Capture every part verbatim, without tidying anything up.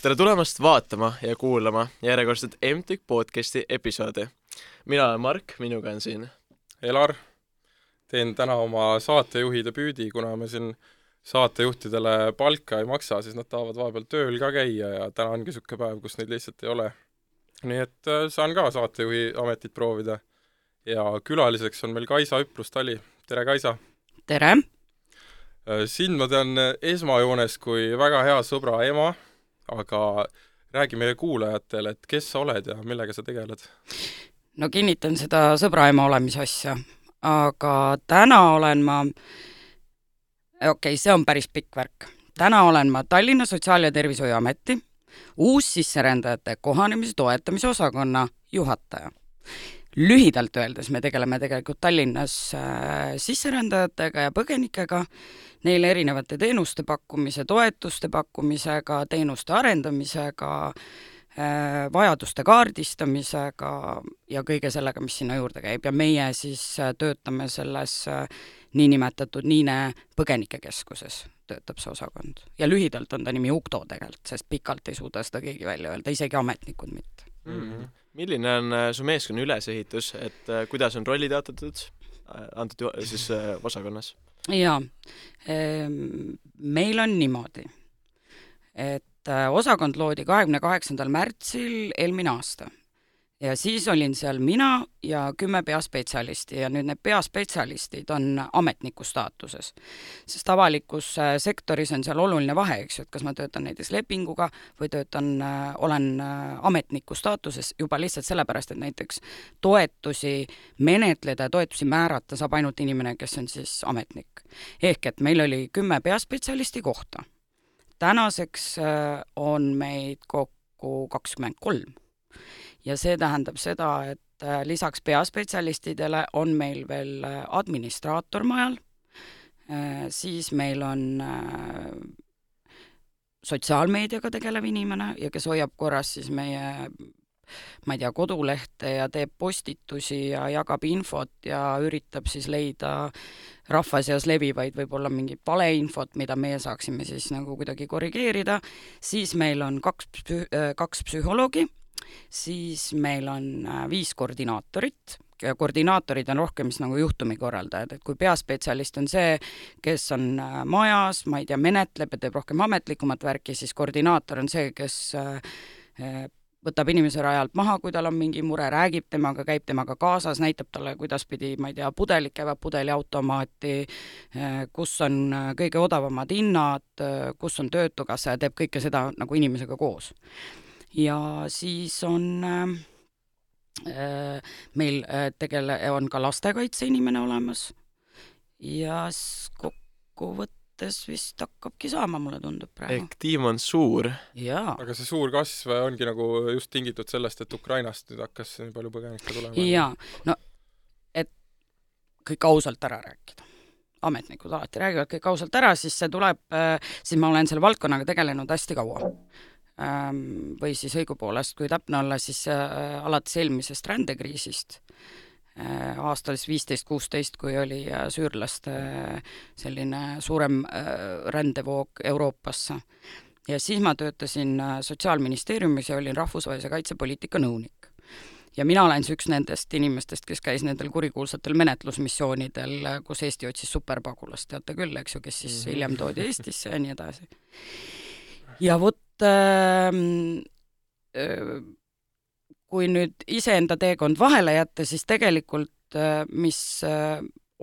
tere tulemast vaatama ja kuulama järjekordset M T K podcasti episoodi. Mina olen Mark, minuga on siin Elar. Teen täna oma saatejuhi debüüdi, kuna me siin saatejuhtidele palka ei maksa, siis nad tahavad vahepeal tööl ka käia ja täna ongi siuke päev, kus neid lihtsalt ei ole. Nii et saan ka saatejuhi ametit proovida. Ja külaliseks on meil Kaisa Üprus-Tali. Tere, Kaisa! Tere! Sind ma tean esmajoones kui väga hea sõbra ema, aga räägi meie kuulajatele, et kes sa oled ja millega sa tegeled? No kinnitan seda sõbra ema olemise asja, aga täna olen ma, okei, okay, see on päris pikk värk. Täna olen ma Tallinna Sotsiaal- ja Tervishoiuameti uus sisserändajate kohanemise toetamise osakonna juhataja. Lühidalt öeldes me tegeleme tegelikult Tallinnas äh, sisserändajatega ja põgenikega, neile erinevate teenuste pakkumise, toetuste pakkumisega, teenuste arendamisega, äh, vajaduste kaardistamisega ja kõige sellega, mis sinna juurde käib. Ja meie siis äh, töötame selles äh, niinimetatud Niine põgenikekeskuses, töötab see osakond. Ja lühidalt on ta nimi Ukto tegelikult, sest pikalt ei suuda seda keegi välja öelda, isegi ametnikud mitte. Mm-hmm. Milline on su meeskonna ülesehitus, et kuidas on rollid jaotatud antud siis osakonnas? Jaa, meil on niimoodi, et osakond loodi kahekümne kaheksandal märtsil eelmine aasta. Ja siis olin seal mina ja kümme peaspetsialisti ja nüüd need peaspetsialistid on ametniku staatuses. Sest avalikus sektoris on seal oluline vahe, eks ju, et kas ma töötan näiteks lepinguga või töötan, olen ametniku staatuses juba lihtsalt sellepärast, et näiteks toetusi menetleda ja toetusi määrata saab ainult inimene, kes on siis ametnik. Ehk et meil oli kümme peaspetsialisti kohta. Tänaseks on meid kokku kakskümmend kolm. Ja see tähendab seda, et lisaks peaspetsialistidele on meil veel administraator majal, siis meil on sotsiaalmeediaga tegelev inimene ja kes hoiab korras siis meie, ma ei tea, kodulehte ja teeb postitusi ja jagab infot ja üritab siis leida rahva seas levivaid võib-olla mingit valeinfot, mida meie saaksime siis nagu kuidagi korrigeerida. Siis meil on kaks, psü- kaks psühholoogi, siis meil on viis koordinaatorit. Koordinaatorid on rohkem nagu juhtumikorraldajad, et kui peaspetsialist on see, kes on majas, ma ei tea, menetleb ja teeb rohkem ametlikumat värki, siis koordinaator on see, kes võtab inimese rajalt maha, kui tal on mingi mure, räägib temaga, käib temaga kaasas, näitab talle, kuidas pidi, ma ei tea, pudelid käivad pudeliautomaati, kus on kõige odavamad hinnad, kus on töötukassa ja teeb kõike seda nagu inimesega koos. Ja siis on äh, meil tegele, on ka lastekaitse inimene olemas ja kokkuvõttes vist hakkabki saama, mulle tundub praegu. Ehk tiim on suur. Jaa. Aga see suur kasv ongi nagu just tingitud sellest, et Ukrainast nüüd hakkas nii palju põgenikke tulema. Jaa, no et kõik ausalt ära rääkida. Ametnikud alati räägivad kõik ausalt ära, siis see tuleb, siis ma olen selle valdkonnaga tegelenud hästi kaua. Või siis õigupoolest, kui täpne olla, siis äh, alates eelmisest rändekriisist äh, aastal viisteist kuusteist, kui oli äh, süürlaste äh, selline suurem äh, rändevoog Euroopasse. Ja siis ma töötasin äh, Sotsiaalministeeriumis ja olin rahvusvahelise kaitsepoliitika nõunik. Ja mina olen üks nendest inimestest, kes käis nendel kurikuulsatel menetlusmissioonidel, kus Eesti otsis superpagulast, teate küll, eks ju, kes siis hiljem toodi Eestisse ja nii edasi. Ja vot kui nüüd iseenda teekond vahele jätta, siis tegelikult mis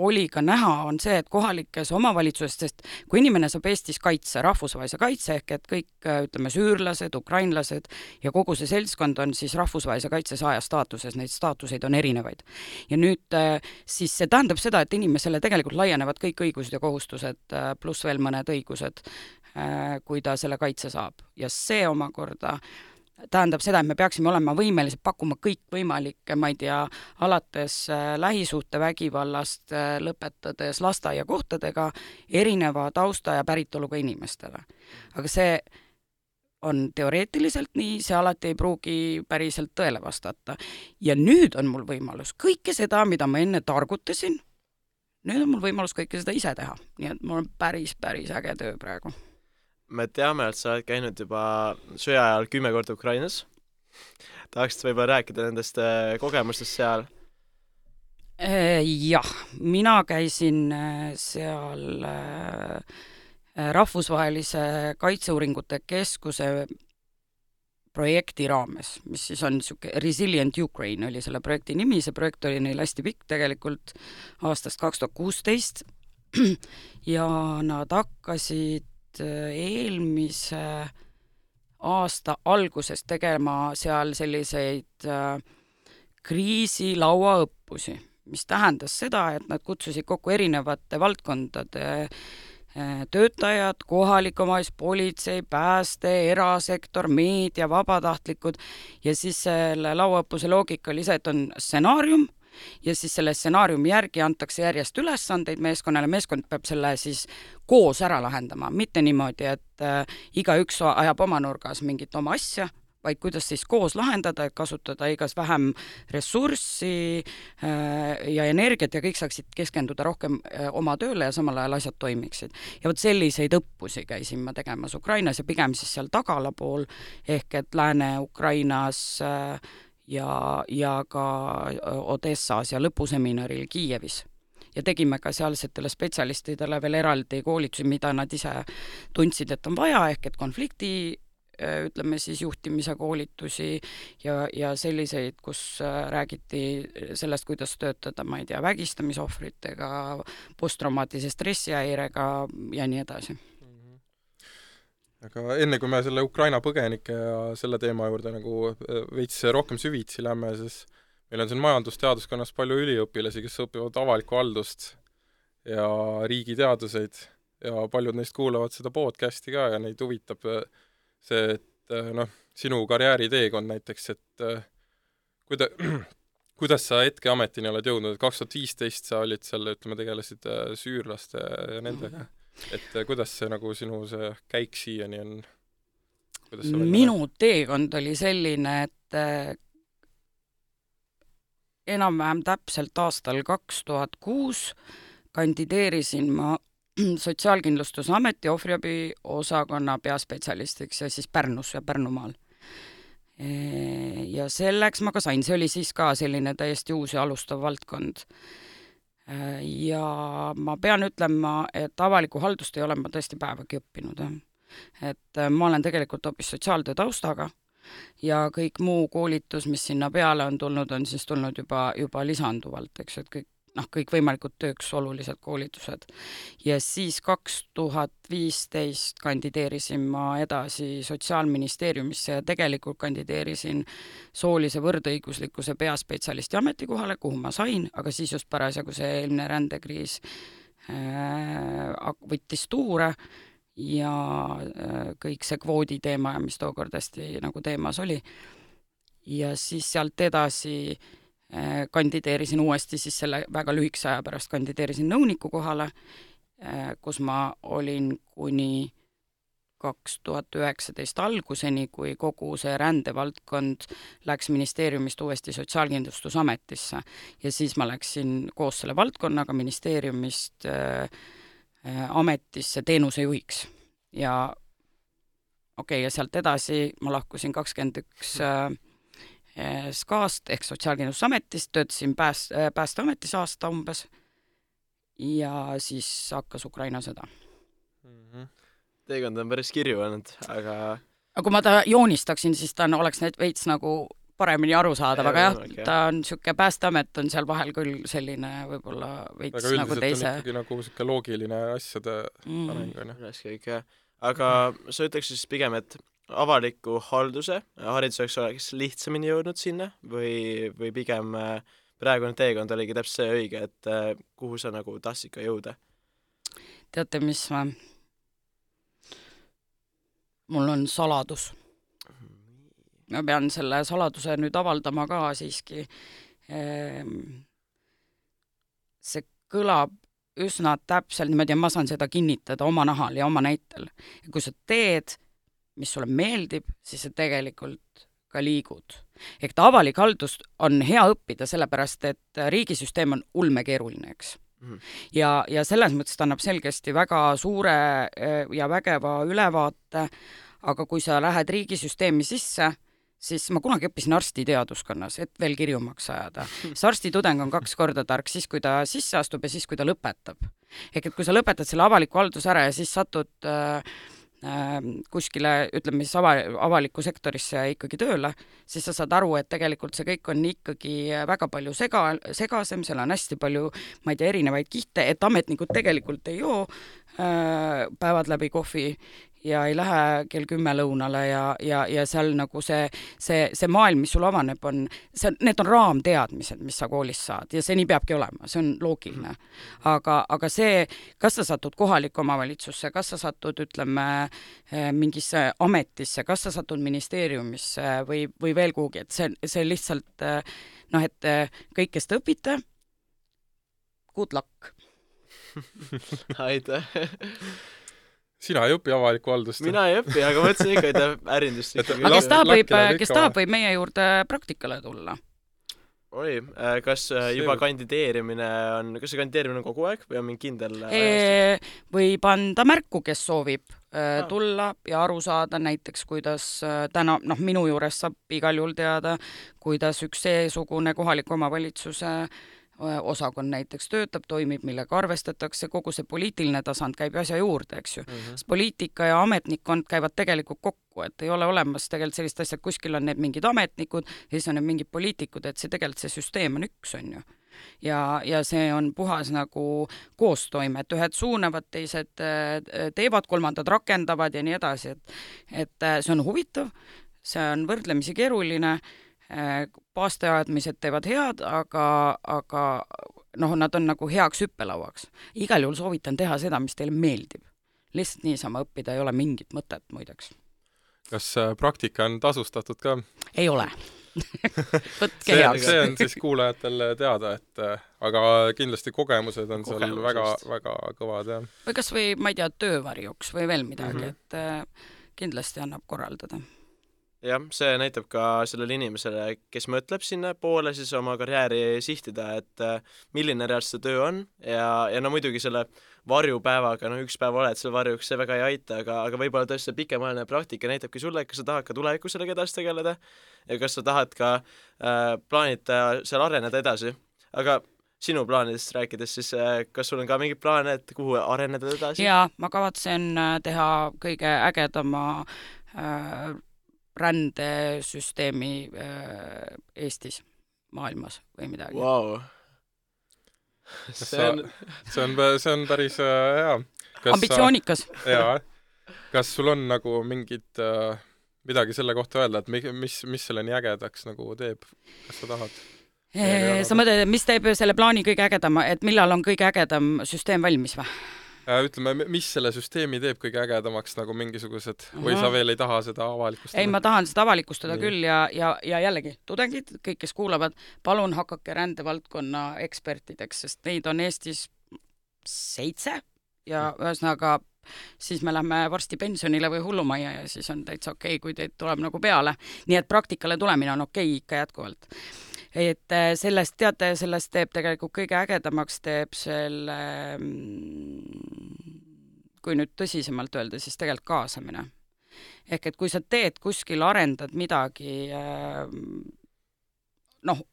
oli ka näha, on see, et kohalikes omavalitsusest, sest kui inimene saab Eestis kaitse, rahvusvahelise kaitse, ehk et kõik, ütleme, süürlased, ukrainlased ja kogu see seltskond on siis rahvusvahelise kaitse saaja staatuses, neid staatuseid on erinevaid. Ja nüüd siis see tähendab seda, et inimesele tegelikult laienevad kõik õigused ja kohustused, pluss veel mõned õigused, kui ta selle kaitse saab. Ja see omakorda tähendab seda, et me peaksime olema võimelised pakkuma kõik võimalikke, ma ei tea, alates lähisuhte vägivallast, lõpetades lasteaiakohtadega erineva tausta ja päritoluga inimestele. Aga see on teoreetiliselt nii, see alati ei pruugi päriselt tõele vastata. Ja nüüd on mul võimalus kõike seda, mida ma enne targutasin, nüüd on mul võimalus kõike seda ise teha. Nii et mul on päris, päris äge töö praegu. me teame, et sa oled käinud juba sõja ajal kümme korda Ukrainas. Tahaksid võib-olla rääkida nendest kogemustest seal? Jah, mina käisin seal rahvusvahelise kaitseuuringute keskuse projekti raames, mis siis on siuke Resilient Ukraine oli selle projekti nimi, see projekt oli neil hästi pikk tegelikult aastast kaks tuhat kuusteist ja nad hakkasid eelmise aasta alguses tegema seal selliseid kriisilauaõppusi, mis tähendas seda, et nad kutsusid kokku erinevate valdkondade töötajad, kohalik omavalitsus, politsei, pääste, erasektor, meedia, vabatahtlikud ja siis selle lauaõppuse loogika oli see, et on stsenaarium ja siis selle stsenaariumi järgi antakse järjest ülesandeid meeskonnale, meeskond peab selle siis koos ära lahendama, mitte niimoodi, et äh, igaüks ajab oma nurgas mingit oma asja, vaid kuidas siis koos lahendada, et kasutada igas vähem ressurssi äh, ja energiat ja kõik saaksid keskenduda rohkem äh, oma tööle ja samal ajal asjad toimiksid. Ja vot selliseid õppusi käisin ma tegemas Ukrainas ja pigem siis seal tagala pool, ehk et Lääne-Ukrainas äh, ja, ja ka Odessas ja lõpuseminaril Kiievis. Ja tegime ka sealsetele spetsialistidele veel eraldi koolitusi, mida nad ise tundsid, et on vaja, ehk et konflikti ütleme siis juhtimise koolitusi ja, ja selliseid, kus räägiti sellest, kuidas töötada, ma ei tea, vägistamisohvritega, posttraumaatilise stressihäirega ja nii edasi. Aga enne kui me selle Ukraina põgenike ja selle teema juurde nagu veits rohkem süvitsi lähme, siis meil on siin majandusteaduskonnas palju üliõpilasi, kes õpivad avalikku haldust ja riigiteaduseid ja paljud neist kuulavad seda podcasti ka ja neid huvitab see, et noh, sinu karjääriteekond näiteks, et kuida, kuidas sa hetkeametini oled jõudnud, et kaks tuhat viisteist sa olid seal, ütleme, tegelesid süürlaste ja nendega, et kuidas see nagu sinu see käik siiani on? Minu teekond oli selline, et enam-vähem täpselt aastal kaks tuhat kuus kandideerisin ma Sotsiaalkindlustusameti ohvriabi osakonna peaspetsialistiks ja siis Pärnus ja Pärnumaal. Ja selleks ma ka sain, see oli siis ka selline täiesti uus ja alustav valdkond. Ja ma pean ütlema, et avaliku haldust ei ole ma tõesti päevagi õppinud. Et ma olen tegelikult hoopis sotsiaaltöö taustaga ja kõik muu koolitus, mis sinna peale on tulnud, on siis tulnud juba, juba lisanduvalt, eks, et kõik noh, kõik võimalikud tööks olulised koolitused. Ja siis kaks tuhat viisteist kandideerisin ma edasi Sotsiaalministeeriumisse ja tegelikult kandideerisin soolise võrdõiguslikkuse peaspetsialisti ametikohale, kuhu ma sain, aga siis just parasjagu see eelmine rändekriis äh, võttis tuure ja äh, kõik see kvoodi teema, mis tookord hästi nagu teemas oli. Ja siis sealt edasi kandideerisin uuesti siis selle väga lühikese aja pärast kandideerisin nõuniku kohale, kus ma olin kuni kaks tuhat üheksateist alguseni, kui kogu see rändevaldkond läks ministeeriumist uuesti Sotsiaalkindlustusametisse ja siis ma läksin koos selle valdkonnaga ministeeriumist äh, ametisse teenusejuhiks ja okei, okay, ja sealt edasi ma lahkusin kakskümmend üks äh, SKA-st ehk Sotsiaalkindlustusametist, töötasin pääst, päästeametis aasta umbes ja siis hakkas Ukraina sõda. Mm-hmm. Teekond on päris kirju olnud, aga... aga kui ma ta joonistaksin, siis ta oleks need veits nagu paremini aru saada, aga jah, okay. Ta on siuke päästeamet on seal vahel küll selline võib-olla veits aga nagu teise. Aga üldiselt on ikkagi nagu siuke loogiline asjade mm. areng. Kõik, jah. Aga sa ütleks siis pigem, et avaliku halduse hariduseks oleks lihtsamini jõudnud sinna või, või pigem praegune teekond oligi täpselt see õige, et kuhu sa nagu tahtsid ka jõuda? Teate, mis ma... mul on saladus. Ma pean selle saladuse nüüd avaldama ka siiski. See kõlab üsna täpselt, niimoodi, ma saan seda kinnitada oma nahal ja oma näitel. Ja kui sa teed mis sulle meeldib, siis sa tegelikult ka liigud. Ehk ta avalik haldus on hea õppida, sellepärast et riigisüsteem on ulmekeeruline, eks. Mm-hmm. Ja, ja selles mõttes ta annab selgesti väga suure ja vägeva ülevaate, aga kui sa lähed riigisüsteemi sisse, siis ma kunagi õppisin arstiteaduskonnas, et veel kirjumaks ajada. See arstitudeng on kaks korda tark, siis kui ta sisse astub ja siis kui ta lõpetab. Ehk et kui sa lõpetad selle avaliku halduse ära ja siis satud äh, äh, kuskile, ütleme siis ava, avalikku sektorisse ikkagi tööle, siis sa saad aru, et tegelikult see kõik on ikkagi väga palju sega, segasem, seal on hästi palju, ma ei tea, erinevaid kihte, et ametnikud tegelikult ei joo äh, päevad läbi kohvi ja ei lähe kell kümme lõunale ja, ja, ja seal nagu see, see, see maailm, mis sul avaneb, on, see, need on raamteadmised, mis sa koolis saad ja see nii peabki olema, see on loogiline. Aga, aga see, kas sa satud kohalikku omavalitsusse, kas sa satud, ütleme, mingisse ametisse, kas sa satud ministeeriumisse või, või veel kuhugi, et see, see lihtsalt, noh, et kõik, kes te õpite, good luck. Aitäh. Sina ei õpi avalikku haldust? Mina ei õpi, aga mõtlesin ikka, et ärindust ikka. Aga kes tahab, võib, kes tahab, võib meie juurde praktikale tulla? Oi, kas juba kandideerimine on, kas see kandideerimine on kogu aeg või on mingi kindel e, võib anda märku, kes soovib ah. tulla ja aru saada näiteks, kuidas täna, noh, minu juures saab igal juhul teada, kuidas üks seesugune kohaliku omavalitsuse osakond näiteks töötab, toimib, millega arvestatakse, kogu see poliitiline tasand käib asja juurde, eks ju. Mm-hmm. Poliitika ja ametnikkond käivad tegelikult kokku, et ei ole olemas tegelikult sellist asja, et kuskil on need mingid ametnikud ja siis on need mingid poliitikud, et see tegelikult see süsteem on üks, on ju. Ja, ja see on puhas nagu koostoime, et ühed suunavad, teised teevad, kolmandad rakendavad ja nii edasi, et, et see on huvitav, see on võrdlemisi keeruline, paasteadmised teevad head, aga, aga noh, nad on nagu heaks hüppelauaks. Igal juhul soovitan teha seda, mis teile meeldib. Lihtsalt niisama õppida ei ole mingit mõtet, muideks. Kas praktika on tasustatud ka? Ei ole. Võtke see, heaks. See on siis kuulajatel teada, et aga kindlasti kogemused on seal väga, väga kõvad. Ja. Või kas või, ma ei tea, töövarjuks või veel midagi, mm-hmm. et kindlasti annab korraldada. Jah, see näitab ka sellele inimesele, kes mõtleb sinna poole siis oma karjääri sihtida, et milline reaalselt see töö on ja, ja no muidugi selle varjupäevaga, no üks päev oled seal varjuks, see väga ei aita, aga, aga võib-olla tõesti see pikemaajaline praktika näitabki sulle, kas sa tahad ka tulevikus sellega edasi tegeleda ja kas sa tahad ka äh, plaanida seal areneda edasi. Aga sinu plaanidest rääkides, siis äh, kas sul on ka mingid plaane, et kuhu areneda edasi? Jaa, ma kavatsen teha kõige ägedama äh, rändesüsteemi äh, Eestis, maailmas või midagi. Wow. See on... see on, see on päris äh, hea. Kas ambitsioonikas. Sa, jaa. Kas sul on nagu mingid äh, midagi selle kohta öelda, et mis, mis selle nii ägedaks nagu teeb? Kas sa tahad? E, sa mõtled, mis teeb selle plaani kõige ägedama, et millal on kõige ägedam süsteem valmis või? Ütleme, mis selle süsteemi teeb kõige ägedamaks nagu mingisugused Aha. või sa veel ei taha seda avalikustada? Ei, ma tahan seda avalikustada Nii. küll ja, ja, ja jällegi tudengid, kõik, kes kuulavad, palun hakake rändevaldkonna ekspertideks, sest neid on Eestis seitse ja mm. ühesõnaga siis me lähme varsti pensionile või hullumajja ja siis on täitsa okei, kui teid tuleb nagu peale. Nii et praktikale tulemine on okei ikka jätkuvalt. Et sellest, teate, sellest teeb tegelikult kõige ägedamaks teeb selle, kui nüüd tõsisemalt öelda, siis tegelikult kaasamine. Ehk et kui sa teed kuskil, arendad midagi, noh,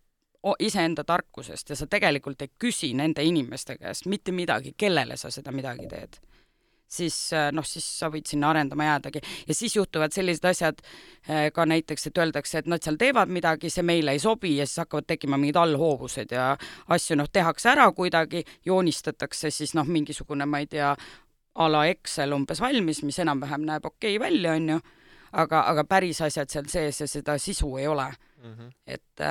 iseenda tarkusest ja sa tegelikult ei küsi nende inimeste käest mitte midagi, kellele sa seda midagi teed, siis noh, siis sa võid sinna arendama jäädagi. Ja siis juhtuvad sellised asjad ka näiteks, et öeldakse, et nad seal teevad midagi, see meile ei sobi ja siis hakkavad tekkima mingid allhoovused ja asju noh, tehakse ära kuidagi, joonistatakse siis noh, mingisugune, ma ei tea, a la Excel umbes valmis, mis enam-vähem näeb okei välja, on ju, aga, aga päris asjad seal sees ja seda sisu ei ole. Mm-hmm. Et,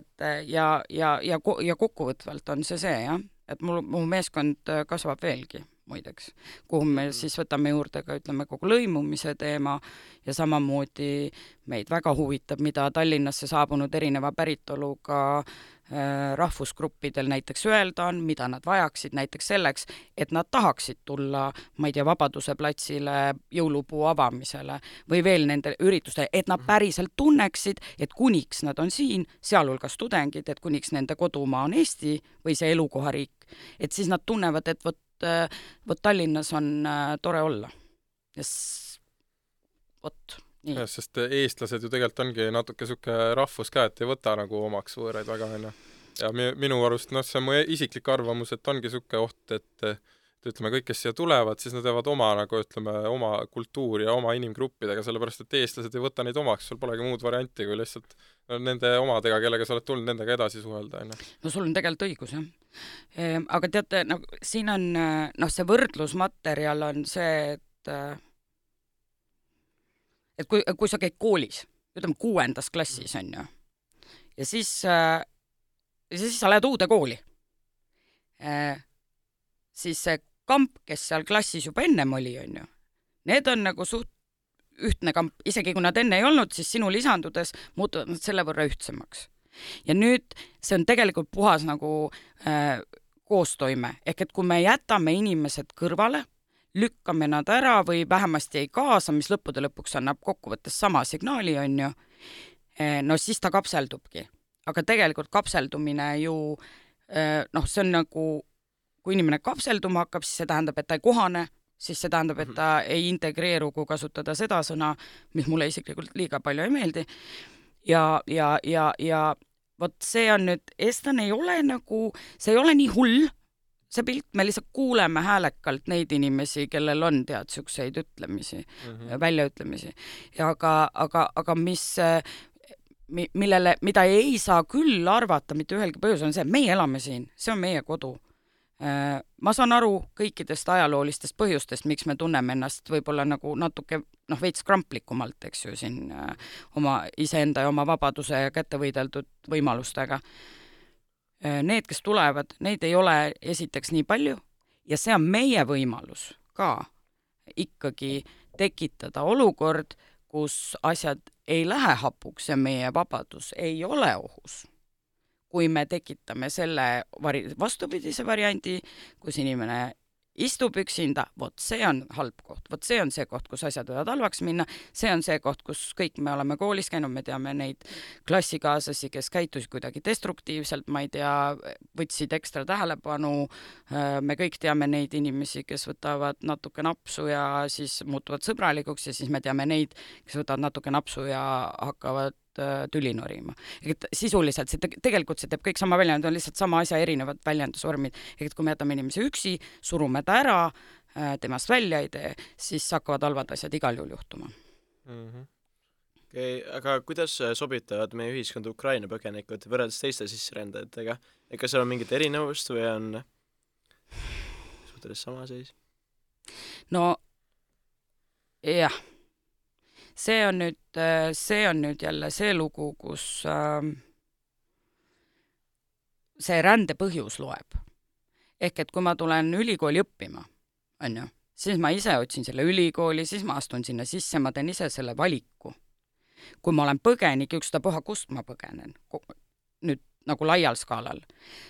et ja, ja, ja, ja kokkuvõtvalt on see see, jah, et mul, mu meeskond kasvab veelgi. Muideks, kuhu me siis võtame juurde ka, ütleme, kogu lõimumise teema ja samamoodi meid väga huvitab, mida Tallinnasse saabunud erineva päritoluga rahvusgruppidel näiteks öelda on, mida nad vajaksid näiteks selleks, et nad tahaksid tulla, ma ei tea, Vabaduse platsile jõulupuu avamisele või veel nende ürituste, et nad päriselt tunneksid, et kuniks nad on siin, sealhulgas tudengid, et kuniks nende kodumaa on Eesti või see elukohariik, et siis nad tunnevad, et vot, vot Tallinnas on tore olla. Ja s... vot. Ja, sest eestlased ju tegelikult ongi natuke suke rahvus ka, et ei võta nagu omaks võõraid väga enne. Ja minu arust, noh, see on mu isiklik arvamus, et ongi suke oht, et, et ütleme, kõik, kes siia tulevad, siis nad teevad oma, nagu ütleme, oma kultuuri ja oma inimgruppidega, sellepärast, et eestlased ei võta neid omaks, sul polegi muud varianti, kui lihtsalt no, nende omadega, kellega sa oled tulnud, nendega edasi suhelda. Enne. No sul on tegelikult õigus, jah. E, aga teate, no, siin on, noh, see võrdlusmaterjal on see, et et kui, kui sa käid koolis, ütleme kuuendas klassis on ju, ja siis, äh, siis sa lähed uude kooli, äh, siis see kamp, kes seal klassis juba ennem oli, on ju, need on nagu suht ühtne kamp, isegi kui nad enne ei olnud, siis sinu lisandudes muutuvad nad selle võrra ühtsemaks. Ja nüüd see on tegelikult puhas nagu äh, koostoime, ehk et kui me jätame inimesed kõrvale, lükkame nad ära või vähemasti ei kaasa, mis lõppude lõpuks annab kokkuvõttes sama signaali, on ju, no siis ta kapseldubki. Aga tegelikult kapseldumine ju, noh, see on nagu, kui inimene kapselduma hakkab, siis see tähendab, et ta ei kohane, siis see tähendab, et ta ei integreeru, kui kasutada seda sõna, mis mulle isiklikult liiga palju ei meeldi. Ja, ja, ja, ja vot see on nüüd, eestlane ei ole nagu, see ei ole nii hull, see pilt, me lihtsalt kuuleme häälekalt neid inimesi, kellel on tead siukseid ütlemisi, mm-hmm. väljaütlemisi. Ja aga, aga, aga mis, millele, mida ei saa küll arvata mitte ühelgi põhjus on see, meie elame siin, see on meie kodu. Ma saan aru kõikidest ajaloolistest põhjustest, miks me tunneme ennast võib-olla nagu natuke noh, veits kramplikumalt, eks ju, siin oma iseenda ja oma vabaduse ja kättevõideldud võimalustega. Need, kes tulevad, neid ei ole esiteks nii palju ja see on meie võimalus ka ikkagi tekitada olukord, kus asjad ei lähe hapuks ja meie vabadus ei ole ohus. Kui me tekitame selle vari- vastupidise variandi, kus inimene istub üksinda, vot see on halb koht, vot see on see koht, kus asjad võivad halvaks minna, see on see koht, kus kõik me oleme koolis käinud, me teame neid klassikaaslasi, kes käitusid kuidagi destruktiivselt, ma ei tea, võtsid ekstra tähelepanu, me kõik teame neid inimesi, kes võtavad natuke napsu ja siis muutuvad sõbralikuks ja siis me teame neid, kes võtavad natuke napsu ja hakkavad tüli norima. Et sisuliselt see te- tegelikult see teeb kõik sama väljend, on lihtsalt sama asja erinevad väljendusvormid. Et kui me jätame inimese üksi, surume ta ära, temast välja ei tee, siis hakkavad halvad asjad igal juhul juhtuma. Mm-hmm. Okay, aga kuidas sobitavad meie ühiskond Ukraina põgenikud võrreldes teiste sisserändajatega? Ega seal on mingit erinevust või on suhteles sama seis? No jah. See on nüüd, see on nüüd jälle see lugu, kus äh, see rände põhjus loeb. Ehk et kui ma tulen ülikooli õppima, on ju, siis ma ise otsin selle ülikooli, siis ma astun sinna sisse, ma teen ise selle valiku. Kui ma olen põgenik, ükstapuha kust ma põgenen, nüüd nagu laial skaalal,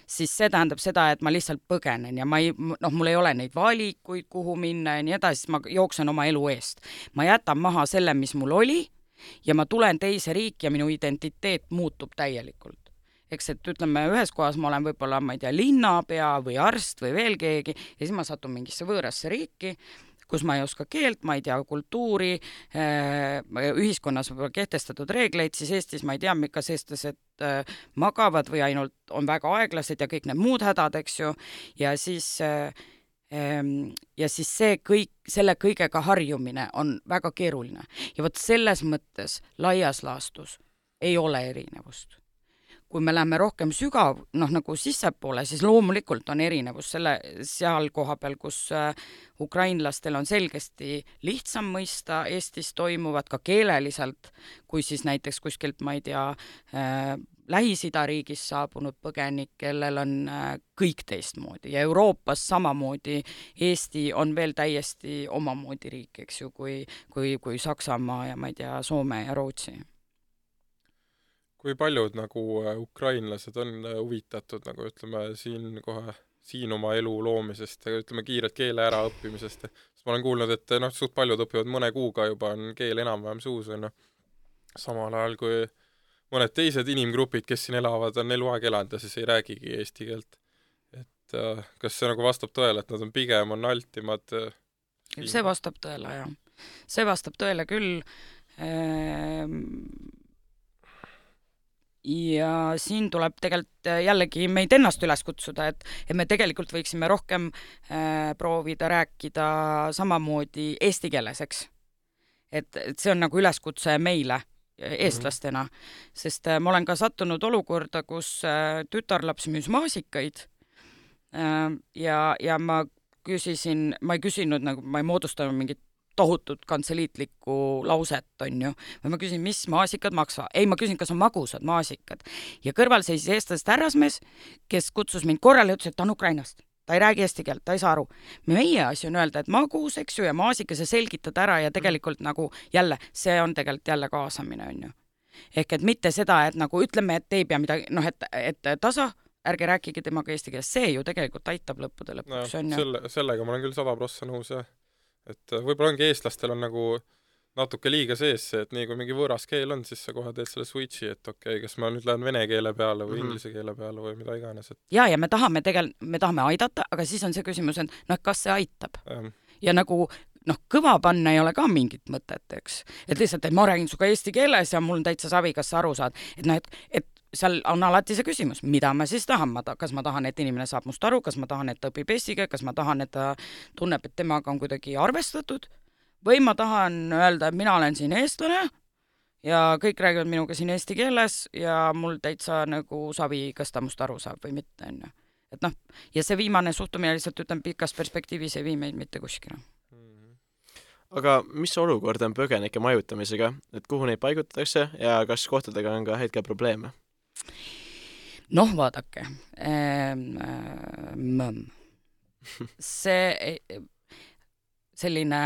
siis see tähendab seda, et ma lihtsalt põgenen ja ma ei, noh, mul ei ole neid valikuid, kuhu minna ja nii edasi, ma jooksen oma elu eest. Ma jätan maha selle, mis mul oli ja ma tulen teise riiki ja minu identiteet muutub täielikult. Eks et ütleme, ühes kohas ma olen võib-olla, ma ei tea, linnapea või arst või veel keegi ja siis ma satun mingisse võõrasse riiki, kus ma ei oska keelt, ma ei tea kultuuri, ühiskonnas võib kehtestatud reegleid, siis Eestis ma ei tea, kas eestlased magavad või ainult on väga aeglased ja kõik need muud hädad, eks ju, ja siis, ja siis see kõik, selle kõigega harjumine on väga keeruline. Ja vot selles mõttes laias laastus ei ole erinevust. Kui me läheme rohkem sügav, noh nagu sissepoole, siis loomulikult on erinevus selle seal koha peal, kus ukrainlastel on selgesti lihtsam mõista Eestis toimuvad ka keeleliselt, kui siis näiteks kuskilt, ma ei tea, äh, Lähis-Ida riigis saabunud põgenik, kellel on äh, kõik teistmoodi ja Euroopas samamoodi Eesti on veel täiesti omamoodi riik, eks ju, kui, kui, kui Saksamaa ja ma ei tea, Soome ja Rootsi. kui paljud nagu äh, ukrainlased on äh, huvitatud nagu ütleme siin kohe siin oma elu loomisest ja ütleme kiirelt keele äraõppimisest. Sest ma olen kuulnud, et noh, suht paljud õpivad mõne kuuga juba on keel enam-vähem suus on. Samal ajal kui mõned teised inimgrupid, kes siin elavad, on eluaeg elanud ja siis ei räägigi eesti keelt. Et äh, kas see nagu vastab tõele, et nad on pigem on altimad äh, see vastab tõele, jah. See vastab tõele küll. Ehm... ja siin tuleb tegelikult jällegi meid ennast üles kutsuda, et, et me tegelikult võiksime rohkem äh, proovida rääkida samamoodi eesti keeles, eks. Et, et see on nagu üleskutse meile eestlastena, mm-hmm. sest äh, ma olen ka sattunud olukorda, kus äh, tütarlaps müüs maasikaid äh, ja, ja ma küsisin, ma ei küsinud, nagu ma ei moodustanud mingit tohutut kantseliitlikku lauset, on ju. Ma küsin, mis maasikad maksa? Ei, ma küsin, kas on magusad maasikad. Ja kõrval seisis eestlasest härrasmees, kes kutsus mind korrale ja ütles, et ta on Ukrainast. Ta ei räägi eesti keelt, ta ei saa aru. Meie asi on öelda, et magus, eks ju, ja maasika see selgitad ära ja tegelikult nagu jälle, see on tegelikult jälle kaasamine, on ju. Ehk et mitte seda, et nagu ütleme, et ei pea midagi, noh, et, et tasa, ärge rääkige temaga eesti keeles, see ju tegelikult aitab lõppude lõpuks, no, on ju. Selle, sellega ma olen küll sada prossa nõus, jah. Et võib-olla ongi eestlastel on nagu natuke liiga sees see, et nii kui mingi võõras keel on, siis sa kohe teed selle switchi, et okei, okay, kas ma nüüd lähen vene keele peale või mm-hmm. inglise keele peale või mida iganes. Et... Ja, ja me tahame tegelikult, me tahame aidata, aga siis on see küsimus, et noh, kas see aitab. Ähm. Ja nagu noh, kõva panna ei ole ka mingit mõtet, eks. Et lihtsalt, et ma räägin suga eesti keeles ja mul on täitsa savi, kas sa aru saad. Et noh, et, et seal on alati see küsimus, mida ma siis tahan, ma ta, kas ma tahan, et inimene saab must aru, kas ma tahan, et ta õpib eestiga, kas ma tahan, et ta tunneb, et temaga on kuidagi arvestatud, või ma tahan öelda, et mina olen siin eestlane ja kõik räägivad minuga siin eesti keeles ja mul täitsa nagu savi, kas ta must aru saab või mitte. On. Et noh, ja see viimane suhtumine lihtsalt ütlen pikas perspektiivis ei vii meid mitte kuskile. Aga mis olukord on põgenike majutamisega, et kuhu neid paigutatakse ja kas kohtadega on ka hetkel probleeme? Noh, vaadake. Ähm, see selline,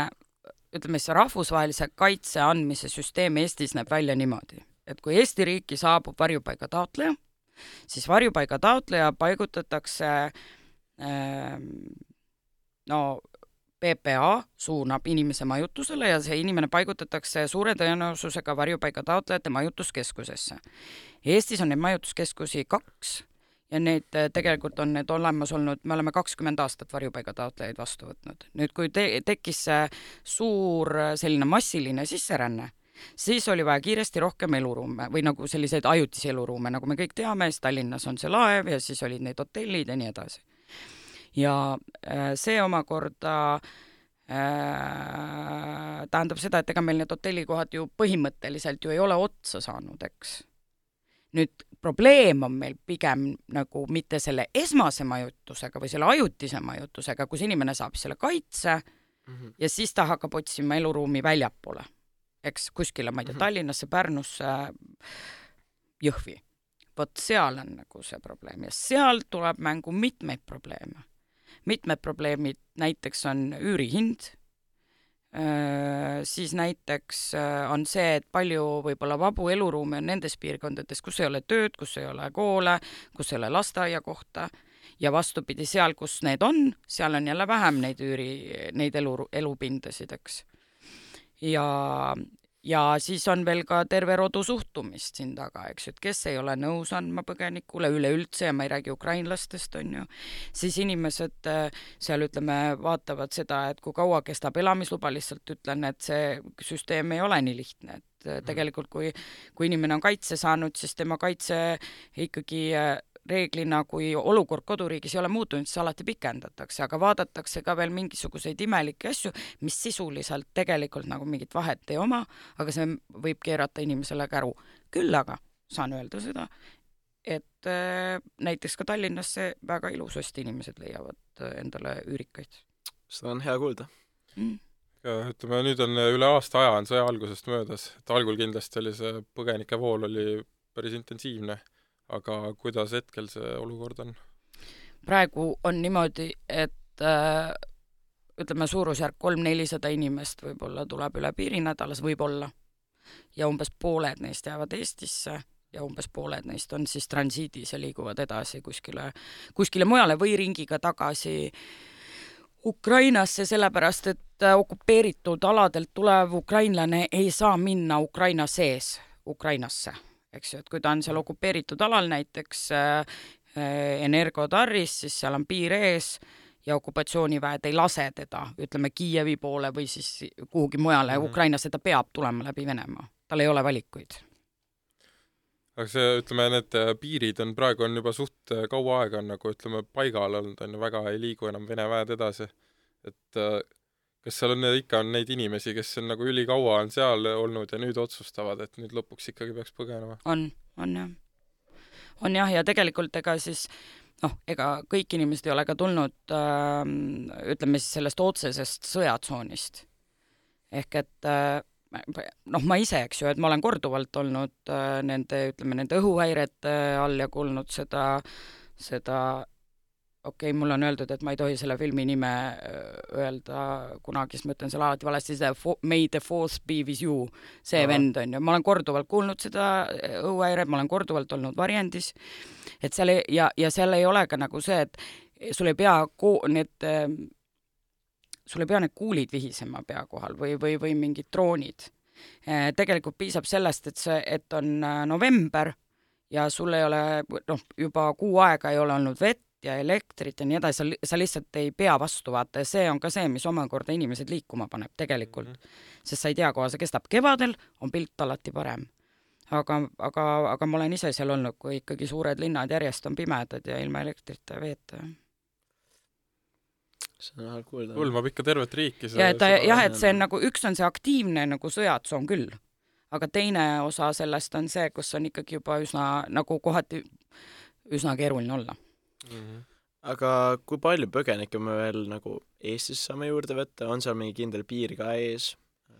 ütleme, see rahvusvahelise kaitse andmise süsteem Eestis näeb välja niimoodi, et kui Eesti riiki saabub varjupaiga taotleja, siis varjupaiga taotleja paigutatakse ähm, no P P A suunab inimese majutusele ja see inimene paigutatakse suure tõenäosusega varjupaiga taotlejate majutuskeskusesse. Eestis on neid majutuskeskusi kaks ja need tegelikult on need olemas olnud, me oleme kakskümmend aastat varjupaiga taotlejaid vastu võtnud. Nüüd, kui te- tekkis see suur selline massiline sisseränne, siis oli vaja kiiresti rohkem eluruume või nagu selliseid ajutisi eluruume, nagu me kõik teame, siis Tallinnas on see laev ja siis olid need hotellid ja nii edasi. Ja see omakorda äh, tähendab seda, et ega meil need hotellikohad ju põhimõtteliselt ju ei ole otsa saanud, eks. Nüüd probleem on meil pigem nagu mitte selle esmase majutusega või selle ajutise majutusega, kus inimene saab selle kaitse mm-hmm. ja siis ta hakkab otsima eluruumi väljapoole, eks kuskile, ma ei tea, mm-hmm. Tallinnasse, Pärnusse, Jõhvi. Vot seal on nagu see probleem ja seal tuleb mängu mitmeid probleeme. Mitmed probleemid näiteks on üürihind, siis näiteks on see, et palju võib-olla vabu eluruumi on nendes piirkondades, kus ei ole tööd, kus ei ole koole, kus ei ole lasteaia kohta ja vastupidi seal, kus need on, seal on jälle vähem neid üüri, neid elu, elupindasid, eks. Ja, ja siis on veel ka terve rodu suhtumist siin taga, eks, et kes ei ole nõus andma põgenikule üleüldse ja ma ei räägi ukrainlastest, on ju, siis inimesed seal, ütleme, vaatavad seda, et kui kaua kestab elamisluba, lihtsalt ütlen, et see süsteem ei ole nii lihtne, et tegelikult kui, kui inimene on kaitse saanud, siis tema kaitse ikkagi reeglina, kui olukord koduriigis ei ole muutunud, siis alati pikendatakse, aga vaadatakse ka veel mingisuguseid imelikke asju, mis sisuliselt tegelikult nagu mingit vahet ei oma, aga see võib keerata inimesele käru. Küll aga saan öelda seda, et äh, näiteks ka Tallinnasse väga ilusasti inimesed leiavad endale üürikaid. Seda on hea kuulda. Mm. Ja, ütleme, nüüd on üle aasta aja on sõja algusest möödas, et algul kindlasti oli see põgenike vool oli päris intensiivne. Aga kuidas hetkel see olukord on? Praegu on niimoodi, et äh, ütleme suurusjärk kolm-nelisada inimest võib-olla tuleb üle piiri nädalas, võib-olla. Ja umbes pooled neist jäävad Eestisse ja umbes pooled neist on siis transiidis ja liiguvad edasi kuskile, kuskile mujale või ringiga tagasi Ukrainasse, sellepärast et okupeeritud aladelt tulev ukrainlane ei saa minna Ukraina sees Ukrainasse, eks ju, et kui ta on seal okupeeritud alal näiteks äh, Energotarris, siis seal on piir ees ja okupatsiooniväed ei lase teda, ütleme Kiievi poole või siis kuhugi mujale mm -hmm. Ukrainasse, ta peab tulema läbi Venemaa, tal ei ole valikuid. Aga see, ütleme, need piirid on praegu on juba suht kaua aega on nagu, ütleme, paigal olnud, on ju, väga ei liigu enam Vene väed edasi. Et kas seal on ikka on neid inimesi, kes on nagu ülikaua on seal olnud ja nüüd otsustavad, et nüüd lõpuks ikkagi peaks põgenema? On, on jah. On jah, ja tegelikult ega siis, noh, ega kõik inimesed ei ole ka tulnud, äh, ütleme siis sellest otsesest sõjatsoonist. Ehk et äh, noh, ma ise, eks ju, et ma olen korduvalt olnud äh, nende, ütleme, nende õhuhäirete all ja kuulnud seda, seda okei okay,, mul on öeldud, et ma ei tohi selle filmi nime öelda kunagi, siis ma ütlen selle alati valesti, see May the Fourth be with you, see Aha. vend on ju, ma olen korduvalt kuulnud seda õhuhäiret, ma olen korduvalt olnud varjendis, et seal ei, ja, ja seal ei ole ka nagu see, et sul ei pea ko- need sul ei pea need kuulid vihisema pea kohal või, või, või mingid droonid. Tegelikult piisab sellest, et see, et on november ja sul ei ole, noh, juba kuu aega ei ole olnud vett ja elektrit ja nii edasi, sa, sa lihtsalt ei pea vastu vaata ja see on ka see, mis omakorda inimesed liikuma paneb tegelikult. Mm -hmm. Sest sa ei tea, koha see kestab. Kevadel on pilt alati parem. Aga, aga, aga ma olen ise seal olnud, kui ikkagi suured linnad järjest on pimedad ja ilma elektrita ja veeta. See on halb kuulda. Hõlmab ikka tervet riiki. Ja, et, jah, et see on nagu, üks on see aktiivne nagu sõjatsoon küll, aga teine osa sellest on see, kus on ikkagi juba üsna, nagu kohati üsna keeruline olla. Mm-hmm. Aga kui palju põgenikke me veel nagu Eestis saame juurde võtta, on seal mingi kindel piir ka ees,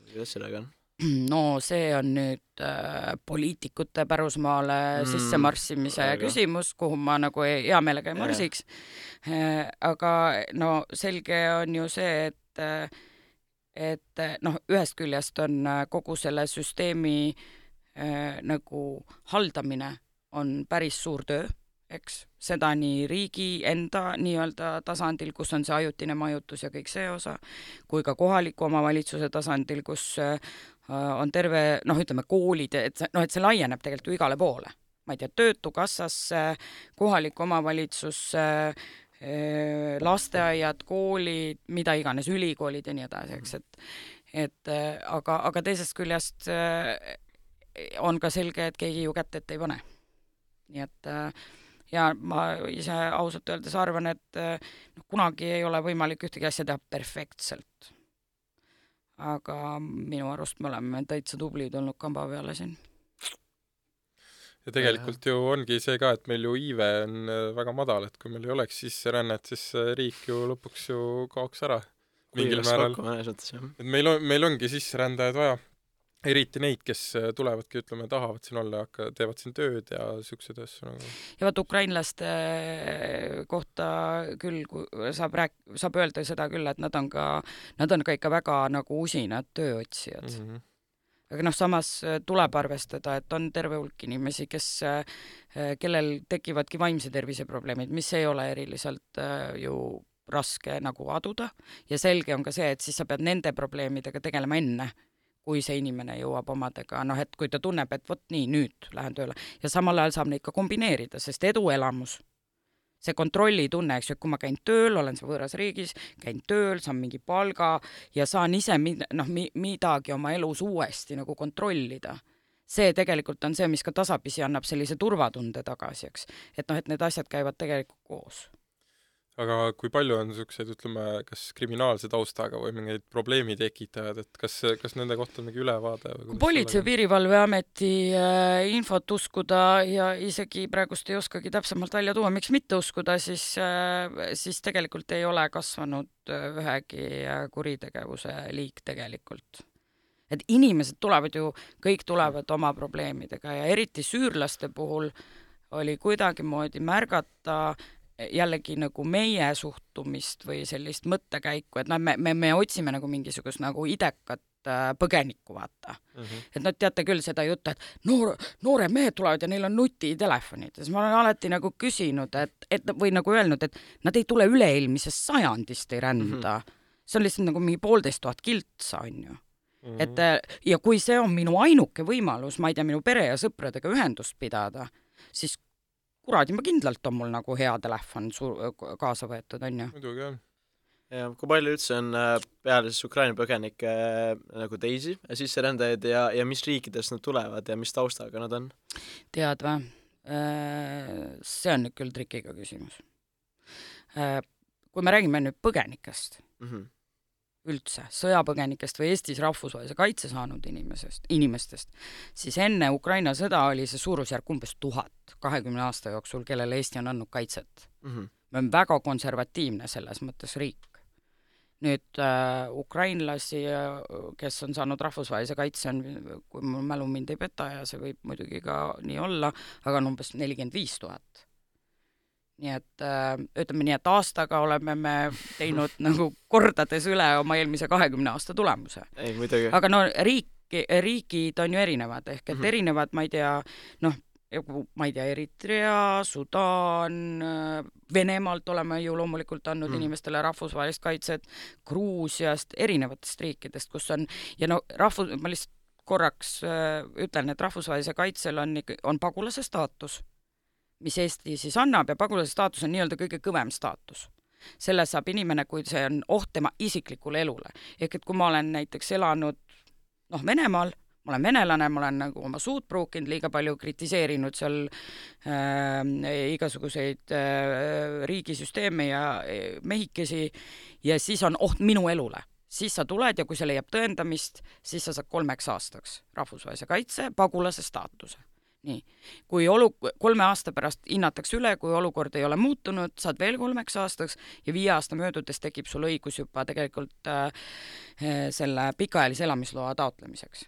kuidas sellega on? No see on nüüd äh, poliitikute pärusmaale mm, sisse marssimise aga. küsimus, kuhu ma nagu hea meelega ei marsiks äh, aga no selge on ju see, et et noh, ühest küljest on kogu selle süsteemi äh, nagu haldamine on päris suur töö, eks, seda nii riigi enda nii-öelda tasandil, kus on see ajutine majutus ja kõik see osa, kui ka kohaliku omavalitsuse tasandil, kus on terve, noh, ütleme koolid, et see, noh, et see laieneb tegelikult ju igale poole. Ma ei tea, töötukassasse, kohaliku omavalitsusse, lasteaiad, koolid, mida iganes, ülikoolid ja nii edasi, eks, et, et aga, aga teisest küljest on ka selge, et keegi ju kätt ette ei pane. Nii et ja ma ise ausalt öeldes arvan, et no, kunagi ei ole võimalik ühtegi asja teha perfektselt. Aga minu arust me oleme täitsa tublid olnud kamba peale siin. Ja tegelikult ju ongi see ka, et meil ju iive on väga madal, et kui meil ei oleks sisserännet, siis riik ju lõpuks ju kaoks ära. Mingil määral. Et meil, on, meil ongi sisserändajaid vaja. Eriti neid, kes tulevadki, ütleme, tahavad siin olla, aga teevad siin tööd ja siuksed asju nagu. Ja vaat ukrainlaste kohta küll saab, rääk- saab öelda seda küll, et nad on ka, nad on ka ikka väga nagu usinad tööotsijad. Mm -hmm. Aga noh, samas tuleb arvestada, et on terve hulk inimesi, kes, kellel tekivadki vaimse tervise probleemid, mis ei ole eriliselt ju raske nagu aduda ja selge on ka see, et siis sa pead nende probleemidega tegelema enne, kui see inimene jõuab omadega, noh, et kui ta tunneb, et vot nii, nüüd lähen tööle. Ja samal ajal saab neid ka kombineerida, sest eduelamus, see kontrolli tunne, eks ju, et kui ma käin tööl, olen see võõras riigis, käin tööl, saan mingi palga ja saan ise noh, midagi oma elus uuesti nagu kontrollida. See tegelikult on see, mis ka tasapisi annab sellise turvatunde tagasi, eks. Et noh, et need asjad käivad tegelikult koos. Aga kui palju on niisuguseid, ütleme, kas kriminaalse taustaga või mingeid probleemi tekitajad, et kas, kas nende kohta on mingi ülevaade? Kui Politsei- ja Piirivalveameti äh, infot uskuda ja isegi praegust ei oskagi täpsemalt välja tuua, miks mitte uskuda, siis, äh, siis tegelikult ei ole kasvanud ühegi kuritegevuse liik tegelikult. Et inimesed tulevad ju, kõik tulevad oma probleemidega ja eriti süürlaste puhul oli kuidagimoodi märgata jällegi nagu meie suhtumist või sellist mõttekäiku, et no, me, me, me otsime nagu mingisugust nagu idekat äh, põgenikku, vaata mm. -hmm. et nad teate küll seda juttu, et noor, noored mehed tulevad ja neil on nutitelefonid. Ja siis ma olen alati nagu küsinud, et, et või nagu öelnud, et nad ei tule üleilmisest sajandist, ei rända. Mm -hmm. See on lihtsalt nagu mingi poolteist tuhat kiltsa, on ju. Mm -hmm. et ja kui see on minu ainuke võimalus, ma ei tea, minu pere ja sõpradega ühendust pidada, siis kuradi, ma kindlalt on mul nagu hea telefon suur, kaasa võetud, on ju. Muidugi, jah. Ja kui palju üldse on peale siis Ukraina põgenikke nagu teisi sisserändajaid ja, ja mis riikidest nad tulevad ja mis taustaga nad on? Tead või? See on nüüd küll trikiga küsimus. Kui me räägime nüüd põgenikest, mm -hmm. üldse, sõjapõgenikest või Eestis rahvusvahelise kaitse saanud inimesest, inimestest, siis enne Ukraina sõda oli see suurusjärk umbes tuhat kahekümne aasta jooksul, kellele Eesti on andnud kaitset. Mm -hmm. Me on väga konservatiivne selles mõttes riik. Nüüd äh, ukrainlasi, kes on saanud rahvusvahelise kaitse, on, kui mul mälu mind ei peta ja see võib muidugi ka nii olla, aga on umbes nelikümmend viis tuhat. Nii et äh, ütleme nii, et aastaga oleme me teinud nagu kordades üle oma eelmise kahekümne aasta tulemuse. Ei, muidugi. Aga no riik, riigid on ju erinevad, ehk et mm -hmm. erinevad, ma ei tea, noh, ma ei tea, Eritrea, Sudaan, Venemaalt oleme ju loomulikult andnud mm. inimestele rahvusvahelist kaitset, Gruusiast, erinevatest riikidest, kus on, ja no rahvus, ma lihtsalt korraks äh, ütlen, et rahvusvahelise kaitsel on, on pagulase staatus, mis Eesti siis annab, ja pagulase staatus on nii-öelda kõige kõvem staatus. Selle saab inimene, kui see on oht tema isiklikule elule. Ehk et kui ma olen näiteks elanud noh, Venemaal, ma olen venelane, ma olen nagu oma suud pruukinud, liiga palju kritiseerinud seal äh, igasuguseid äh, riigisüsteeme ja mehikesi, ja siis on oht minu elule. Siis sa tuled ja kui see leiab tõendamist, siis sa saad kolmeks aastaks rahvusvahelise kaitse, pagulase staatuse. Nii. Kui olu, kolme aasta pärast hinnatakse üle, kui olukord ei ole muutunud, saad veel kolmeks aastaks ja viie aasta möödudes tekib sul õigus juba tegelikult äh, selle pikaajalise elamisloa taotlemiseks.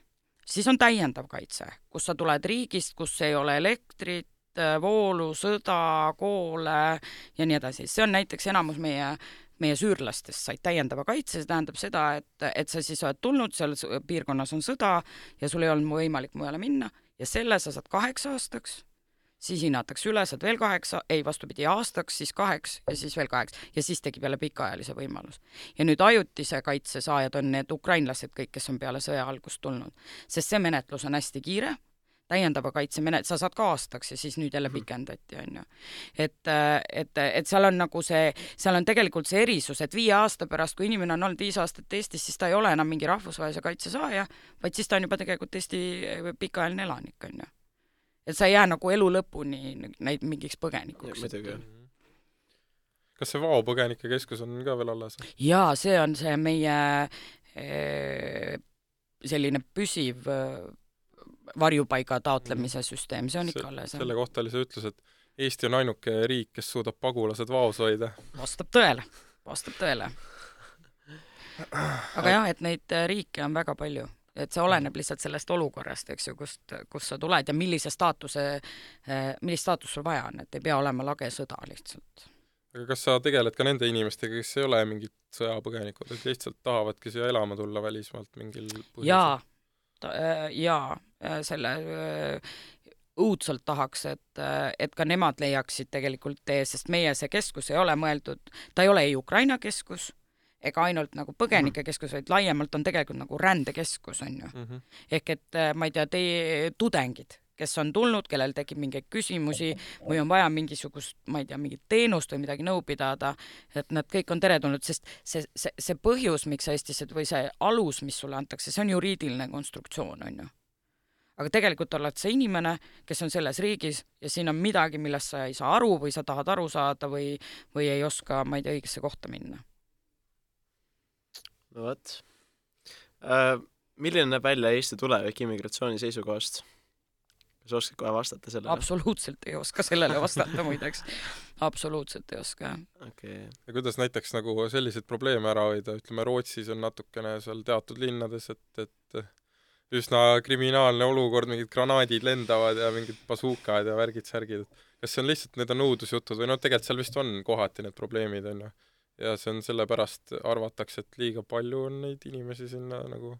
Siis on täiendav kaitse, kus sa tuled riigist, kus ei ole elektrit, voolu, sõda, koole ja nii edasi. See on näiteks enamus meie, meie süürlastest said täiendava kaitse, see tähendab seda, et, et sa siis oled tulnud, seal piirkonnas on sõda ja sul ei olnud võimalik mujale minna ja selle sa saad kaheks aastaks, siis hinnatakse üle, saad veel kaheksa, ei vastupidi aastaks, siis kaheks ja siis veel kaheks ja siis tekib jälle pikaajalise võimalus. Ja nüüd ajutise kaitse saajad on need ukrainlased kõik, kes on peale sõja algust tulnud, sest see menetlus on hästi kiire, täiendava kaitse menet-, sa saad ka aastaks ja siis nüüd jälle pikendati, on ju. Et, et, et seal on nagu see, seal on tegelikult see erisus, et viie aasta pärast, kui inimene on olnud viis aastat Eestis, siis ta ei ole enam mingi rahvusvahelise kaitse saaja, vaid siis ta on juba tegelikult Eesti pikaajaline elanik, on ju. Et sa ei jää nagu elu lõpuni neid mingiks põgenikuks. Ja, kas see Vao põgenike keskus on ka veel alles? Jaa, see on see meie e, selline püsiv varjupaiga taotlemise süsteem, see on ikka alles. Selle kohta oli see ütlus, et Eesti on ainuke riik, kes suudab pagulased Vaos hoida. Vastab tõele, vastab tõele. Aga jah, et neid riike on väga palju. Et see oleneb lihtsalt sellest olukorrast, eks ju, kust, kus sa tuled ja millise staatuse, millist staatus sul vaja on, et ei pea olema lage sõda lihtsalt. Aga kas sa tegeled ka nende inimestega, kes ei ole mingid sõjapõgenikud, et lihtsalt tahavadki siia elama tulla välismaalt mingil põhjusel? Jaa, jaa, selle õudselt tahaks, et, et ka nemad leiaksid tegelikult tee, sest meie see keskus ei ole mõeldud, ta ei ole ei Ukraina keskus, ega ainult nagu põgenike keskus, vaid laiemalt on tegelikult nagu rändekeskus, on ju. Mm -hmm. Ehk et ma ei tea, teie tudengid, kes on tulnud, kellel tekib mingeid küsimusi või on vaja mingisugust, ma ei tea, mingit teenust või midagi nõu pidada, et nad kõik on teretulnud, sest see, see, see põhjus, miks sa Eestis või see alus, mis sulle antakse, see on juriidiline konstruktsioon, on ju. Aga tegelikult oled sa inimene, kes on selles riigis ja siin on midagi, millest sa ei saa aru või sa tahad aru saada või, või ei oska, ma ei tea, õigesse kohta minna. No võt. Äh, milline näeb välja Eesti tulevik immigratsiooni seisukohast? Kas oskad kohe vastata sellele? Absoluutselt ei oska sellele vastata muideks. Absoluutselt ei oska. Okay. Ja kuidas näiteks nagu selliseid probleeme ära hoida? Ütleme, Rootsis on natukene seal teatud linnades, et, et üsna kriminaalne olukord, mingid granaadid lendavad ja mingid basuukad ja värgid, särgid. Kas see on lihtsalt, need on õudusjutud või no tegelikult seal vist on kohati need probleemid, on ju. Ja see on sellepärast arvatakse, et liiga palju on neid inimesi sinna nagu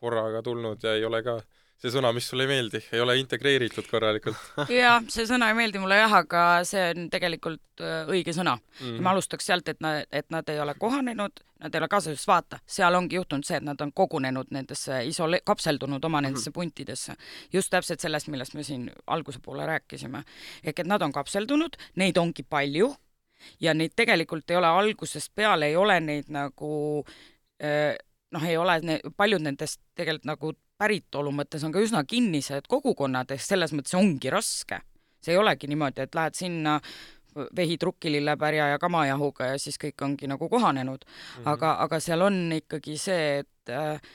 korraga tulnud ja ei ole ka see sõna, mis sulle ei meeldi, ei ole integreeritud korralikult. Jaa, see sõna ei meeldi mulle jah, aga see on tegelikult õige sõna. Mm. Ja ma alustaks sealt, et, na, et nad ei ole kohanenud, nad ei ole kaasas, vaata, seal ongi juhtunud see, et nad on kogunenud nendesse, isole-, kapseldunud oma nendesse puntidesse. Just täpselt sellest, millest me siin alguse poole rääkisime. Ehk et nad on kapseldunud, neid ongi palju ja neid tegelikult ei ole algusest peale, ei ole neid nagu, noh, ei ole ne, paljud nendest tegelikult nagu päritolu mõttes on ka üsna kinnised kogukonnad, selles mõttes ongi raske. See ei olegi niimoodi, et lähed sinna vehi trukkilillepärja ja kamajahuga ja siis kõik ongi nagu kohanenud. Mm-hmm. Aga, aga seal on ikkagi see, et,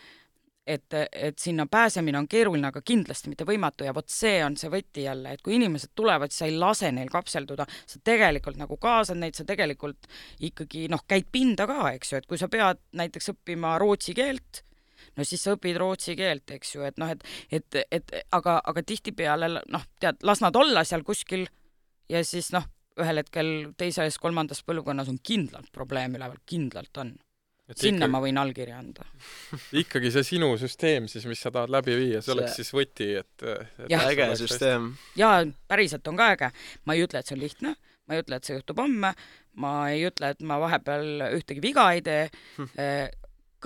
et, et sinna pääsemine on keeruline, aga kindlasti mitte võimatu ja vot see on see võti jälle, et kui inimesed tulevad, siis sa ei lase neil kapselduda, sa tegelikult nagu kaasad neid, sa tegelikult ikkagi noh, käid pinda ka, eks ju, et kui sa pead näiteks õppima rootsi keelt, no siis sa õpid rootsi keelt, eks ju, et noh, et, et, et aga, aga tihtipeale, noh, tead, las nad olla seal kuskil ja siis noh, ühel hetkel teises, kolmandas põlvkonnas on kindlalt probleem üleval, kindlalt on. Et Sinna ikkagi, ma võin allkirja anda. Ikkagi see sinu süsteem siis, mis sa tahad läbi viia, see, see oleks siis võti, et... et ja, äge süsteem. Jaa, päriselt on ka äge. Ma ei ütle, et see on lihtne, ma ei ütle, et see juhtub homme, ma ei ütle, et ma vahepeal ühtegi viga ei tee,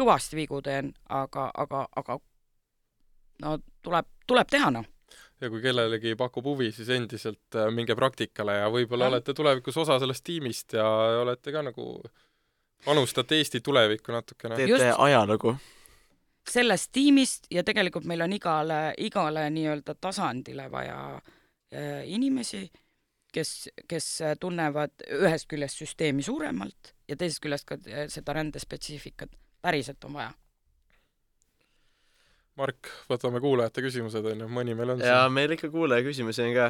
kõvasti vigu teen, aga, aga, aga no tuleb, tuleb teha, noh. Ja kui kellelegi pakub huvi, siis endiselt minge praktikale ja võib-olla ja. olete tulevikus osa sellest tiimist ja olete ka nagu panustate Eesti tulevikku natukene. Teete ajalugu. Sellest tiimist ja tegelikult meil on igale, igale nii-öelda tasandile vaja inimesi, kes, kes tunnevad ühest küljest süsteemi suuremalt ja teisest küljest ka seda rändespetsiifikat. Päriselt on vaja. Mark, võtame kuulajate küsimused, on ju, mõni meil on ja siin. Meil ikka kuulaja küsimusi on ka,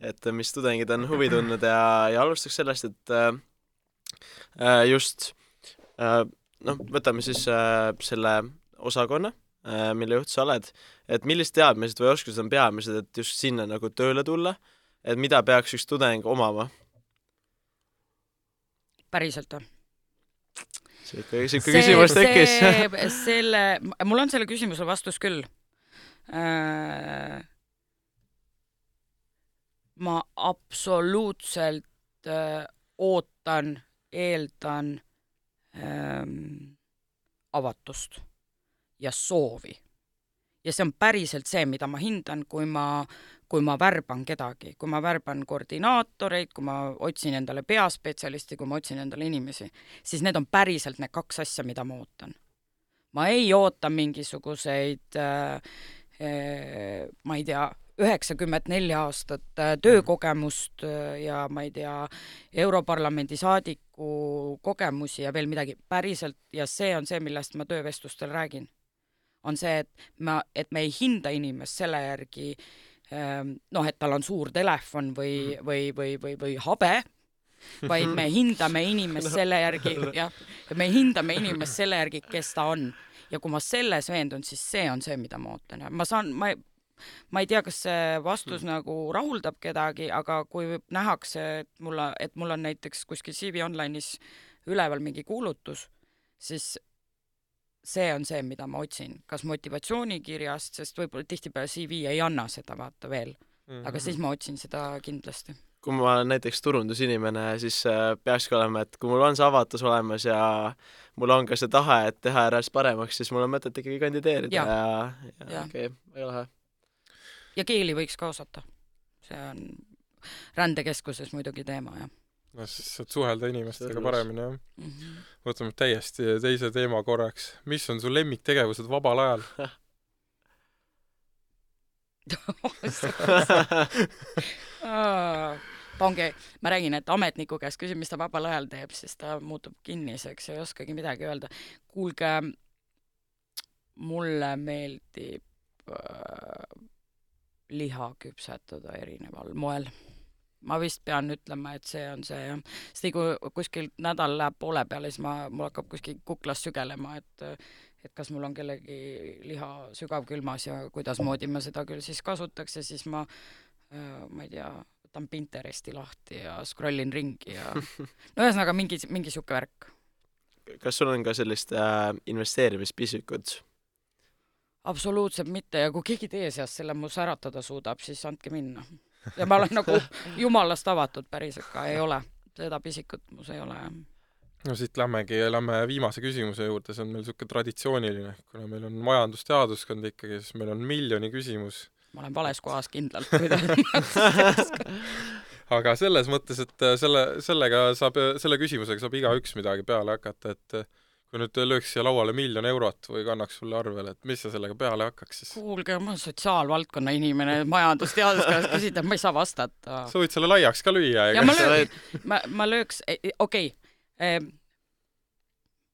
et mis tudengid on huvi tundnud ja, ja alustaks sellest, et äh, just äh, noh, võtame siis äh, selle osakonna, äh, mille juht sa oled, et millist teadmised või oskused on peamised, et just sinna nagu tööle tulla, et mida peaks üks tudeng omama? Päriselt on. See ikka, see ikka küsimus tekkis. Selle, mul on selle küsimusele vastus küll. Ma absoluutselt ootan, eeldan ähm, avatust ja soovi. Ja see on päriselt see, mida ma hindan, kui ma, kui ma värban kedagi, kui ma värban koordinaatoreid, kui ma otsin endale peaspetsialisti, kui ma otsin endale inimesi, siis need on päriselt need kaks asja, mida ma ootan. Ma ei oota mingisuguseid, äh, äh, ma ei tea, üheksakümmend neli aastat äh, töökogemust äh, ja ma ei tea, Europarlamendi saadiku kogemusi ja veel midagi päriselt ja see on see, millest ma töövestlustel räägin. On see, et, ma, et me ei hinda inimest selle järgi, noh, et tal on suur telefon või, või, või, või, või habe, vaid me hindame inimest selle järgi, jah, me hindame inimest selle järgi, kes ta on. Ja kui ma selles veendun, siis see on see, mida ma ootan. Ma saan, ma, ma ei tea, kas see vastus hmm. nagu rahuldab kedagi, aga kui nähakse, et mul, et mul on näiteks kuskil C V Online'is üleval mingi kuulutus, siis see on see, mida ma otsin. Kas motivatsioonikirjast, sest võib-olla tihtipeale C V ei anna seda vaata veel. Mm-hmm. Aga siis ma otsin seda kindlasti. Kui ma olen näiteks turundusinimene, siis peakski olema, et kui mul on see avatus olemas ja mul on ka see tahe, et teha äras paremaks, siis mul on mõtet ikkagi kandideerida ja, ja, ja, ja. okei, okay, ei lähe. Ja keeli võiks ka osata. See on rändekeskuses muidugi teema, jah. No siis saad suhelda inimestega paremini, jah. Mm-hmm. Võtame täiesti teise teema korraks. Mis on su lemmiktegevused vabal ajal? Ongi, ma räägin, et ametniku käest küsin, mis ta vabal ajal teeb, siis ta muutub kinniseks ja ei oskagi midagi öelda. Kuulge, mulle meeldib äh, liha küpsetada erineval moel. Ma vist pean ütlema, et see on see, jah. Sest kui kuskil nädal läheb poole peale, siis ma, mul hakkab kuskil kuklas sügelema, et, et kas mul on kellegi liha sügavkülmas ja kuidas moodi ma seda küll siis kasutaks ja siis ma, ma ei tea, võtan Pinteresti lahti ja scrollin ringi ja no ühesõnaga mingi, mingi siuke värk. Kas sul on ka sellist äh, investeerimispisükud? absoluutselt mitte ja kui keegi teie seast selle mu säratada suudab, siis andke minna. Ja ma olen nagu jumalast avatud päriselt ka, ei ole. Seda pisikut mus ei ole. No siit lämmegi, lämme viimase küsimuse juurde, see on meil siuke traditsiooniline, kuna meil on majandusteaduskond ikkagi, siis meil on miljoni küsimus. Ma olen vales kohas kindlalt. Aga selles mõttes, et selle, sellega saab, selle küsimusega saab igaüks midagi peale hakata, et kui nüüd lööks siia lauale miljon eurot või kannaks sulle arvele, et mis sa sellega peale hakkaks siis? Kuulge, ma olen sotsiaalvaldkonna inimene, majandusteaduskonnast küsida, ma ei saa vastata. Sa võid selle laiaks ka lüüa. Ja ma, löök, ma, ma lööks, okei, okay,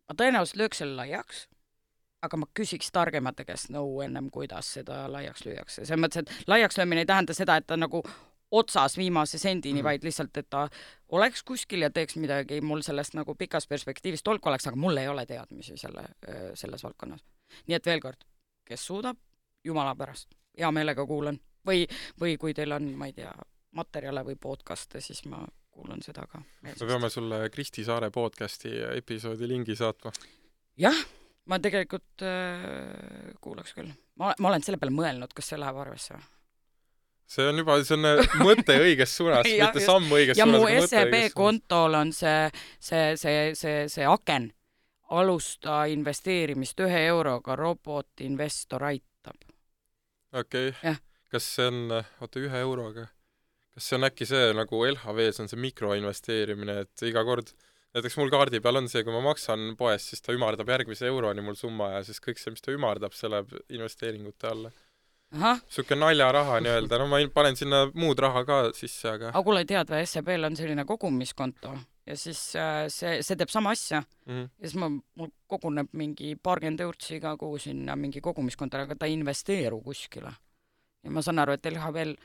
ma tõenäoliselt lööks selle laiaks, aga ma küsiks targemate käest nõu ennem, kuidas seda laiaks lüüakse. See mõttes, et laiaks löömine ei tähenda seda, et ta nagu otsas viimase sendini, vaid lihtsalt, et ta oleks kuskil ja teeks midagi mul sellest nagu pikas perspektiivis tolku oleks, aga mul ei ole teadmisi selle, selles valdkonnas. Nii et veel kord, kes suudab, jumala pärast, hea meelega kuulan. Või, või kui teil on, ma ei tea, materjale või podcaste, siis ma kuulan seda ka. Me peame sulle Kristi Saare podcasti episoodi lingi saatma. Jah, ma tegelikult äh, kuulaks küll. Ma, ma olen selle peale mõelnud, kas see läheb arvesse. See on juba, see on mõte õiges suunas, ja, mitte samm õiges ja suunas. Ja mu S E B kontol on see, see, see, see, see aken. Alusta investeerimist ühe euroga, robotinvestor aitab. Okei. Okay. Kas see on, oota, ühe euroga? Kas see on äkki see, nagu L H V-s on see mikroinvesteerimine, et iga kord, näiteks mul kaardi peal on see, kui ma maksan poes, siis ta ümardab järgmise euroni mul summa ja siis kõik see, mis ta ümardab, see läheb investeeringute alla. Aha. Suke naljaraha nii-öelda, no ma panen sinna muud raha ka sisse, aga... Aga kuule tead, või S E B-l on selline kogumiskonto ja siis äh, see, see teeb sama asja mm-hmm. ja siis ma, mul koguneb mingi paarkümmend eurtsi iga kuu sinna mingi kogumiskonto, aga ta investeeru kuskile. Ja ma saan aru, et L H V-l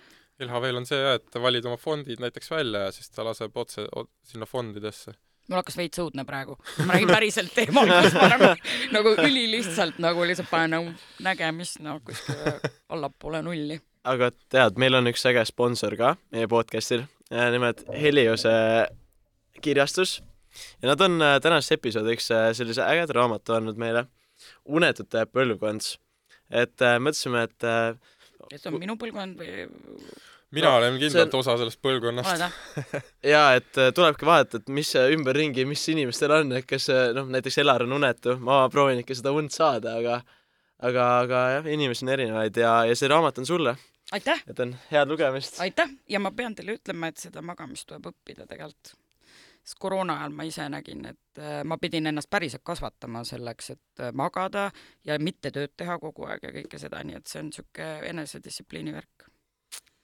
L H V-l on see, et valid oma fondid näiteks välja ja siis ta laseb otse sinna fondidesse. Mul hakkas veits õudne praegu. Ma räägin päriselt teemal, kus ma nagu, nagu üli lihtsalt nagu lihtsalt panen nagu nägemist no, kuskil allapoole nulli. Aga tead, meil on üks äge sponsor ka meie podcastil, nimelt Heliose kirjastus. Ja nad on tänases episoodiks sellise ägeda raamatu andnud meile Unetute põlvkond. Et mõtlesime, et see on minu põlvkond või... Mina no, olen kindlalt on... osa sellest põlvkonnast. Jaa, et tulebki vaadata, et mis ümberringi, mis inimestel on, et kes noh, näiteks Elar on unetu, ma proovin ikka seda und saada, aga aga, aga jah, inimesi on erinevaid ja, ja see raamat on sulle. Aitäh! Et on head lugemist. Aitäh! Ja ma pean teile ütlema, et seda magamist tuleb õppida tegelikult. Sest koroona ajal ma ise nägin, et ma pidin ennast päriselt kasvatama selleks, et magada ja mitte tööd teha kogu aeg ja kõike seda, nii et see on niisugune enesedistsipliini värk.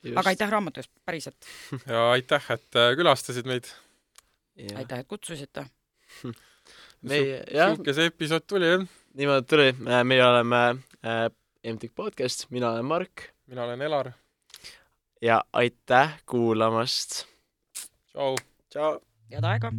Just. Aga aitäh raamatust, päriselt. Ja aitäh, et külastasid meid. Ja. Aitäh, et kutsusite. Meie, jah. Suuke see episood tuli, jah? Niimoodi tuli. Meie oleme äh, M T K podcast, mina olen Mark. Mina olen Elar. Ja aitäh kuulamast. Tšau. Tšau. Head aega.